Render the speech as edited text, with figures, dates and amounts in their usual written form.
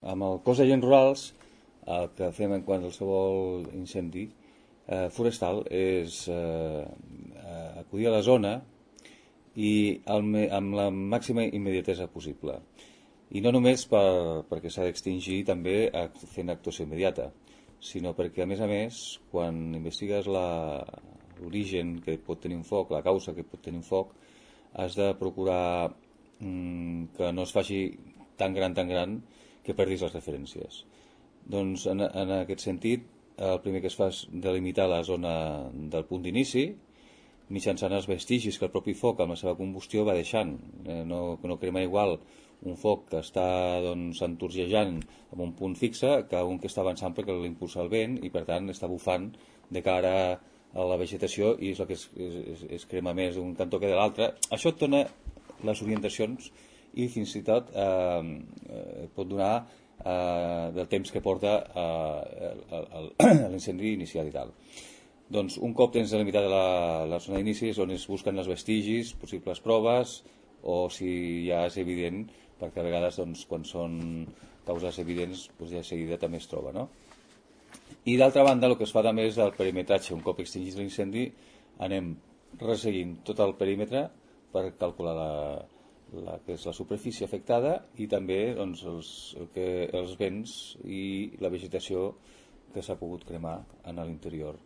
amb el cos d'agents rurals, el que fem en qualsevol incendi forestal és acudir a la zona i amb la màxima immediatesa possible. I no només perquè s'ha d'extingir també fent actuació immediata, sinó perquè, a més, quan investigues l'origen que pot tenir un foc, la causa que pot tenir un foc, has de procurar que no es faci tan gran que perdis les referències. Doncs en aquest sentit, el primer que es fa és delimitar la zona del punt d'inici mitjançant els vestigis que el propi foc amb la seva combustió va deixant. No crema igual un foc que està entorgejant en un punt fixe que un que està avançant perquè l'impulsa el vent i per tant està bufant de cara a la vegetació i és el que es crema més d'un cantó que de l'altre. Això et dona les orientacions i fins i tot pot donar del temps que porta l'incendi inicial i tal. Doncs un cop tens delimitada la zona d'inici és on es busquen els vestigis, possibles proves o si ja és evident, perquè a vegades quan són causes evidents ja de seguida també es troba, no? I d'altra banda el que es fa també és el perimetratge. Un cop extingit l'incendi anem resseguint tot el perímetre per calcular que és la superfície afectada i també els vents i la vegetació que s'ha pogut cremar en l'interior.